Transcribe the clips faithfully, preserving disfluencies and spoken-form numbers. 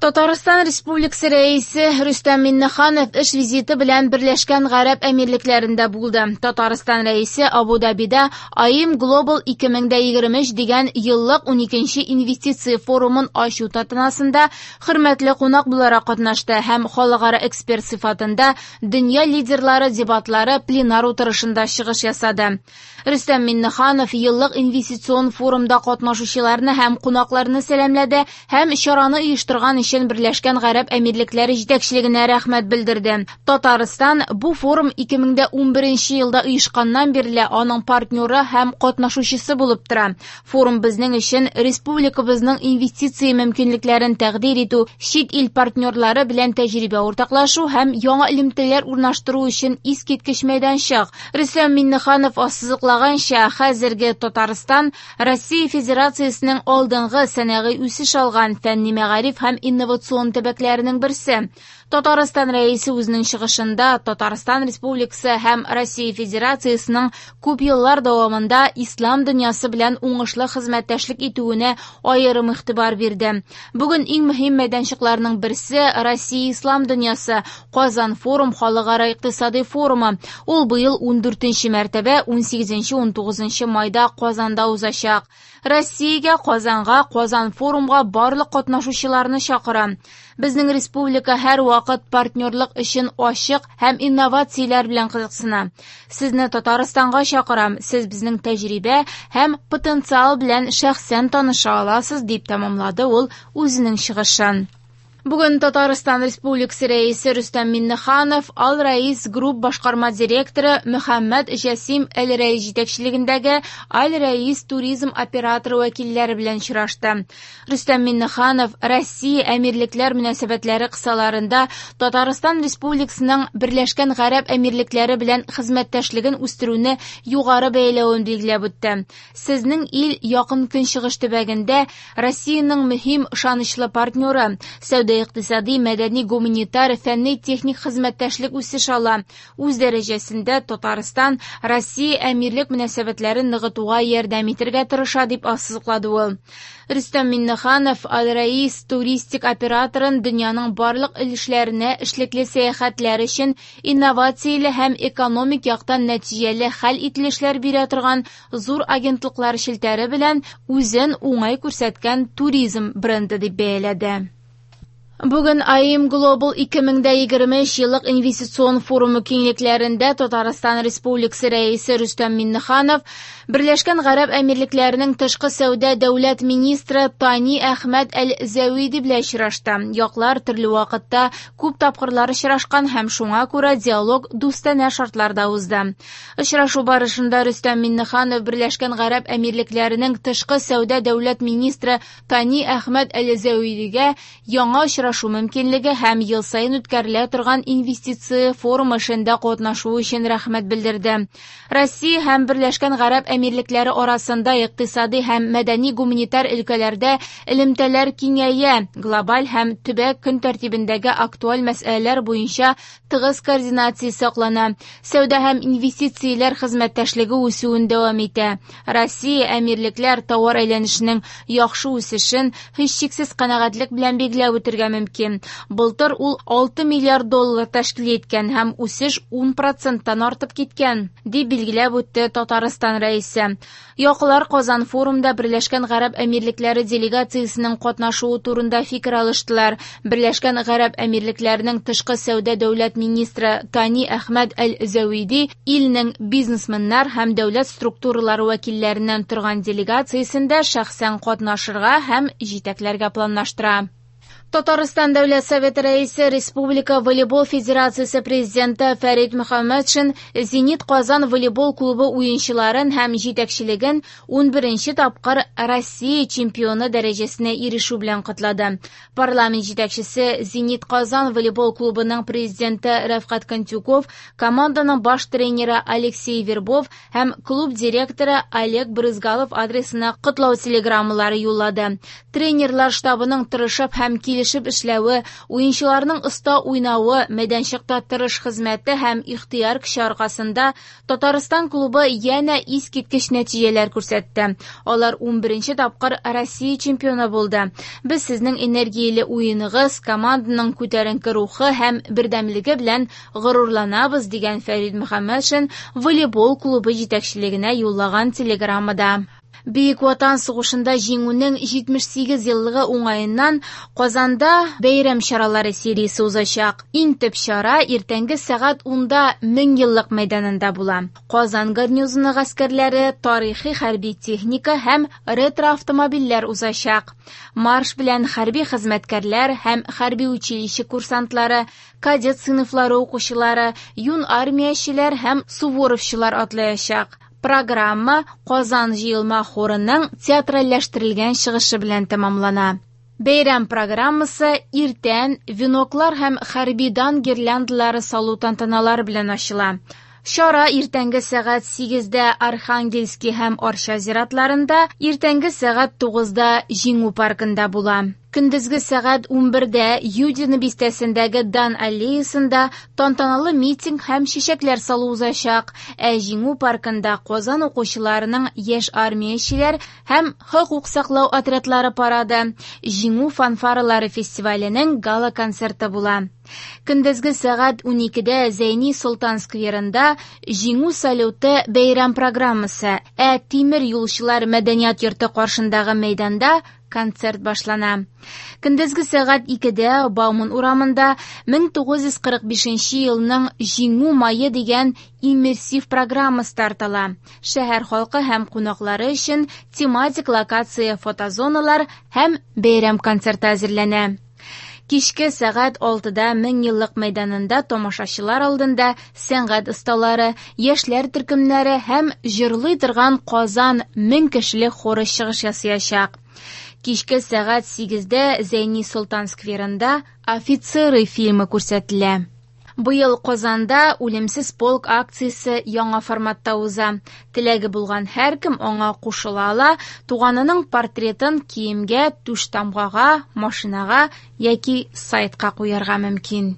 Татарстан Республикасы Рәисе Рөстәм Миңнеханов эш визиты белән Берләшкән Гарәп Әмирлекләрендә булды. Татарстан Рәисе Абу-Дабида A I M Global ике мең егерме өч дигән еллык уникенче инвестиция форумын ачу тантанасында хөрмәтле кунак буларак катнашты һәм халыкара эксперт сыйфатында Дөнья лидерлары дебатлары пленар утырышында чыгыш ясады. Рөстәм Миңнеханов еллык инвестицион форумда катнашучыларны һәм кунакларны сәламләде һәм чараны оештырган өчен Берләшкән Гарәп Әмирлекләре җитәкчелегенә рәхмәт белдерде. Татарстан бу форум ике мең унберенче елда оешканнан бирле аның партнеры һәм катнашучысы булып тора. Форум безнең өчен республикабызның инвестиция мөмкинлекләрен тәкъдир итү, чит ил партнерлары белән тәҗрибә уртаклашу һәм яңа элемтәләр урнаштыру өчен искиткеч мәйданчык. Рөстәм Миңнеханов ассызыклаганча, хәзерге Татарстан Россия Федерациясенең алдынгы сәнәгый үсеш алган фәнни мәгариф һәм инновацион төбәкләренең берсе. Татарстан Рәисе үзенең чыгышында Татарстан Республикасы һәм Россия Федерациясенең күп еллар дәвамында ислам дөньясы белән уңышлы хезмәттәшлек итүенә аерым игътибар бирде. Бүген иң мөһим мәйданчыкларның берсе Россия ислам дөньясы Казан форум халыкара икътисади форумы. Ул быел ундүртенче мәртәбә унсигезенче-унтугызынчы майда Казанда узачак. Россиягә, Казанга, Казан форумга барлык катнашучыларны чакырам. Безнең республика һәрвакыт партнерлык өчен ачык һәм инновацияләр белән кызыксына. Сезне Татарстанга чакырам. Сез безнең тәҗрибә һәм потенциал белән шәхсән таныша аласыз, дип тәмамлады ул үзенең чыгышын. Бүген Татарстан Республикасы Рәисе Рөстәм Миңнеханов Ал-Раис Групп башкарма директоры Мөхәммәд Җәсим Әл-Рәис җитәкчелегендәге Аль-Раис туризм операторы вәкилләре белән очрашты. Рөстәм Миңнеханов Россия Әмирлекләр мөнәсәбәтләре кысаларында Татарстан Республикасының Берләшкән Гарәп Әмирлекләре белән хезмәттәшлеген үстерүне югары бәяләвен билгеләп үтте. Сезнең ил Якын Көнчыгыш төбәгендә Россиянең мөһим ышанычлы партнеры. Сәүдә икътисади, мәдәни, гуманитар, фәнни, техник хезмәттәшлек үсеш ала. Үз дәрәҗәсендә Татарстан Россия әмирлек мөнәсәбәтләрен ныгытуга ярдәм итәргә тырыша, дип ассызыклады ул. Рөстәм Миңнеханов Аль-Раис туристик операторын дөньяның барлык өлешләренә эшлекле сәяхәтләр өчен инновацияле һәм экономик яктан нәтиҗәле хәл ителешләр бирә торган зур агентлыклар челтәре белән үзен уңай күрсәткән туризм бренды дип бәяләде. Бүген A I M Global ике мең егерме өч еллык инвестицион форумы киңлекләрендә Татарстан Республикасы Рәисе Рөстәм Миңнеханов Берләшкән Гарәп Әмирлекләренең тышкы сәүдә дәүләт министры Тани Әхмәд Әл-Зәвиди белән очрашты. Яклар төрле вакытта күп тапкырлар очрашкан һәм шуңа күрә диалог дустанә шартларда узды. Очрашу барышында Рөстәм Миңнеханов Берләшкән Гарәп Әмирлекләренең тышкы сәүдә дәүләт министры Тани Әхмәд Әл-Зәвидигә яңа очрашу мөмкинлеге һәм ел саен үткәрелә торган инвестиция форумы эшендә катнашу өчен рәхмәт белдерде. Россия һәм Берләшкән Гарәп Әмирлекләре арасында икътисади һәм мәдәни-гуманитар өлкәләрдә элемтәләр киңәя, глобаль һәм төбәк көн тәртибендәге актуаль мәсьәләләр буенча тыгыз координация саклана. Сәүдә һәм инвестицияләр хезмәттәшлеге үсүен дәвам итә. Россия Әмирлекләр товар әйләнешенең яхшы үсешен һичшиксез канәгатьлек белән билгеләп үтәргә мөмкин. Былтыр ул алты миллиард доллар тәшкил иткән һәм үсеш ун проценттан артып киткән, дип билгеләп үтте Татарстан Рәисе. Яклар Казан форумда Берләшкән Гарәп Әмирлекләре делегациясенең катнашуы турында фикер алыштылар. Берләшкән Гарәп Әмирлекләренең тышкы сәүдә дәүләт министры Тани Әхмәд Әл-Зәвиди илнең бизнесменнар һәм дәүләт структуралары вәкилләреннән торган делегациясендә шәхсән катнашырга һәм җитәкләргә планлаштыра. Татарстан Дәүләт Советы Рәисе, Республика волейбол федерациясе президенты Фәрид Мөхәммәтшин Зенит Казан волейбол клубы уенчыларын һәм җитәкчелеген унберенче тапкыр Россия чемпионы дәрәҗәсенә ирешү белән котлады. Парламент җитәкчесе Зенит Казан волейбол клубының президенты Рәфкать Кантюков, команданың баш тренеры Алексей Вербов һәм клуб директоры Олег Брызгалов адресына котлау телеграммалары юллады. Тренерлар штабының тырышып һәм Килешеп эшләве, уенчыларның оста уйнавы, мәйданчыкта тырыш хезмәте һәм ихтыяр көче аркасында Татарстан клубы янә искиткеч нәтиҗәләр күрсәтте. Алар унберенче тапкыр Россия чемпионы булды. Без сезнең энергияле уеныгыз, команданың күтәренке рухы һәм бердәмлеге белән горурланабыз, дигән Фәрид Мөхәммәтшин волейбол клубы җитәкчелегенә юллаган телеграммада. Бөек Ватан сугышында җиңүнең җитмеш сигез еллыгы уңаеннан Казанда бәйрәм чаралары сериясе узачак. Иң төп чара иртәнге сәгать унда Мең еллык мәйданында була. Казан гарнизоны гаскәрләре, тарихи хәрби техника һәм ретро-автомобильләр узачак. Марш белән хәрби хезмәткәрләр һәм хәрби училище курсантлары, кадет сыйныфлары укучылары, юн армиячеләр һәм суворовчылар атлаячак. Программа Казан җыелма хорының театральләштерелгән чыгышы белән тәмамлана. Бәйрәм программасы иртән веноклар һәм хәрби дан гирляндалары салу тантаналары белән ачыла. Чара иртәнге сәгать сигездә Архангельский һәм Арча зиратларында, иртәнге сәгать тугызда Җиңү паркында була. Көндезге сәгать унбердә Юдино бистәсендәге Дан аллеясында тантаналы митинг һәм чәчәкләр салу узачак. Ә Җиңү паркында Казан укучыларының яшь армиячеләр һәм хокук саклау отрядлары парады, Җиңү фанфаралары фестиваленең гала-концерты була. Көндезге сәгать уникедә Зәйни Солтан скверында Җиңү салюты бәйрәм программасы, ә Тимер юлчылар мәдәният йорты каршындагы мәйданда концерт башлана. Көндезге сәгать икедә Бауман урамында мең тугыз йөз кырык бишенче елның Җиңү мае дигән иммерсив программа старт ала. Шәһәр халкы һәм кунаклары өчен тематик локация, фотозоналар һәм бәйрәм концерты әзерләнә. Кичке сәгать алтыда Мең еллык мәйданында тамашачылар алдында сәнгать осталары, яшьләр төркемнәре һәм җырлый торган Казан мең кешелек хоры чыгыш ясаячак. Кичке сәгать сигездә Зәйни Солтан скверында «Офицеры» фильмы күрсәтелә. Быел Казанда «Үлемсез полк» акциясе яңа форматта уза. Теләге булган һәркем аңа кушыла ала, туганының портретын киемгә, түш тамгага, машинага яки сайтка куярга мөмкин.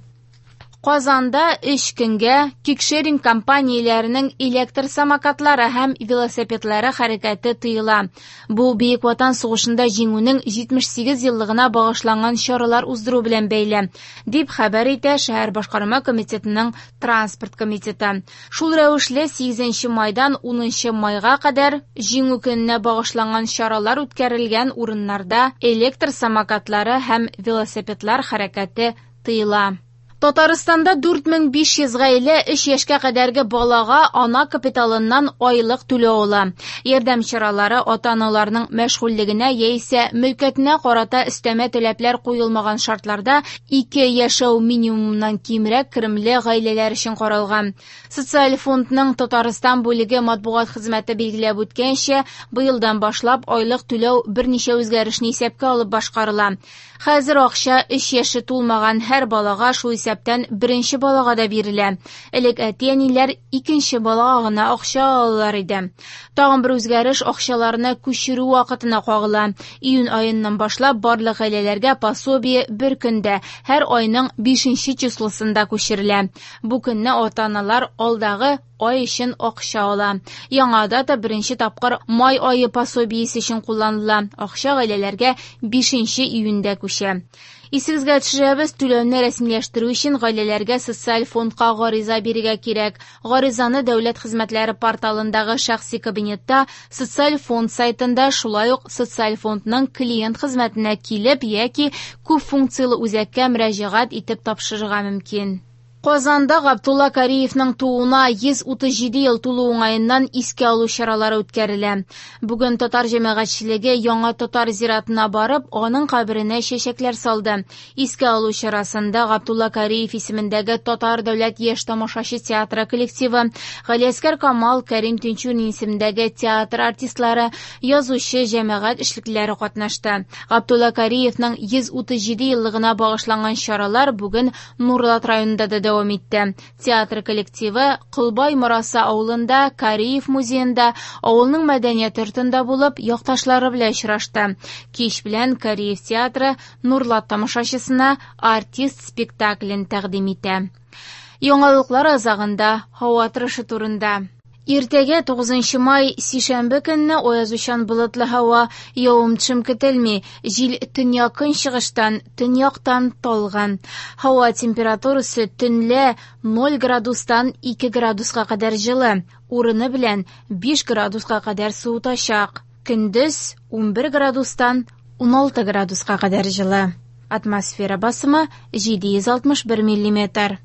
Казанда өч көнгә кикшеринг компанияләренең электр самокатлары һәм велосипедлары хәрәкәте тыела. Бу Бөек Ватан сугышында җиңүнең җитмеш сигез еллыгына багышланган чаралар уздыру белән бәйле, дип хәбәр итә шәһәр башкарма комитетының транспорт комитеты. Шул рәвешле сигезенче майдан унынчы майга кадәр Җиңү көненә багышланган чаралар үткәрелгән урыннарда электр самокатлары һәм велосипедлар хәрәкәте тыела. Татарстанда дүрт мең биш йөз гаилә өч яшькә кадәрге балага ана капиталыннан айлык түләү ала. Ярдәм чаралары ата-аналарның мәшгульлегенә яисә мөлкәтенә карата өстәмә таләпләр куелмаган шартларда ике яшәү минимумыннан кимрәк керемле гаиләләр өчен каралган. Социаль фондның Татарстан бүлеге матбугат хезмәте билгеләп үткәнчә, быелдан башлап айлык түләү берничә үзгәрешне исәпкә алып башкарыла. Хәзер акча өч яше тулмаган һәр балага, шул исәптән беренче балага да бирелә. Элек әти-әниләр икенче балага гына акча алалар иде. Тагын бер үзгәреш акчаларны күчерү вакытына кагыла. Июнь аеннан башлап барлык гаиләләргә пособие бер көндә, һәр айның бишенче числосында күчерелә. Бу көнне ата-аналар алдагы ай өчен акча ала. Яңа дата беренче тапкыр май ае пособиесе өчен кулланыла. Акча гаиләләргә бишенче июньдә күчә. Исегезгә төшерәбез, түләүне рәсмиләштерү өчен гаиләләргә социаль фондка гариза бирергә кирәк. Гаризаны дәүләт хезмәтләре порталындагы шәхси кабинетта, социаль фонд сайтында, шулай ук социаль фондның клиент хезмәтенә килеп яки күп функцияле үзәккә мөрәҗәгать итеп тапшырырга мөмкин. Казанда Габдулла Кариевның тууына йөз утыз җиде ел тулу уңаеннан искә алу чаралары үткәрелә. Бүген татар җәмәгатьчелеге яңа татар зиратына барып, аның каберенә чәчәкләр салды. Искә алу чарасында Габдулла Кариев исемендәге Татар дәүләт яшь тамашачы театры коллективы, Галиәсгар Камал, Кәрим Тинчурин исемендәге театр артистлары, язучы, җәмәгать эшлеклеләре катнашты. Габдулла Кариевның йөз утыз җиде еллыгына багышланган чаралар бүген Нурлат районында да дәвам итте. Театр коллективы Колбай Мораса авылында, Кариев музеенда, авылның мәдәният йортында булып, якташлары белән очрашты. Кич белән Кариев театры Нурлат тамашачысына «Артист» спектаклен тәкъдим итә. Яңалыклар азагында һава торышы турында. Иртәгә тугызынчы май сишәмбе көнне аязучан болытлы һава, явым-төшем көтелми. Җил төньяк-көнчыгыштан, төньяктан талгын. Һава температурасы төнлә ноль градустан ике градуска кадәр җылы, урыны белән биш градуска кадәр суытачак. Көндез унбер градустан уналты градуска кадәр җылы. Атмосфера басымы җиде йөз алтмыш бер миллиметр.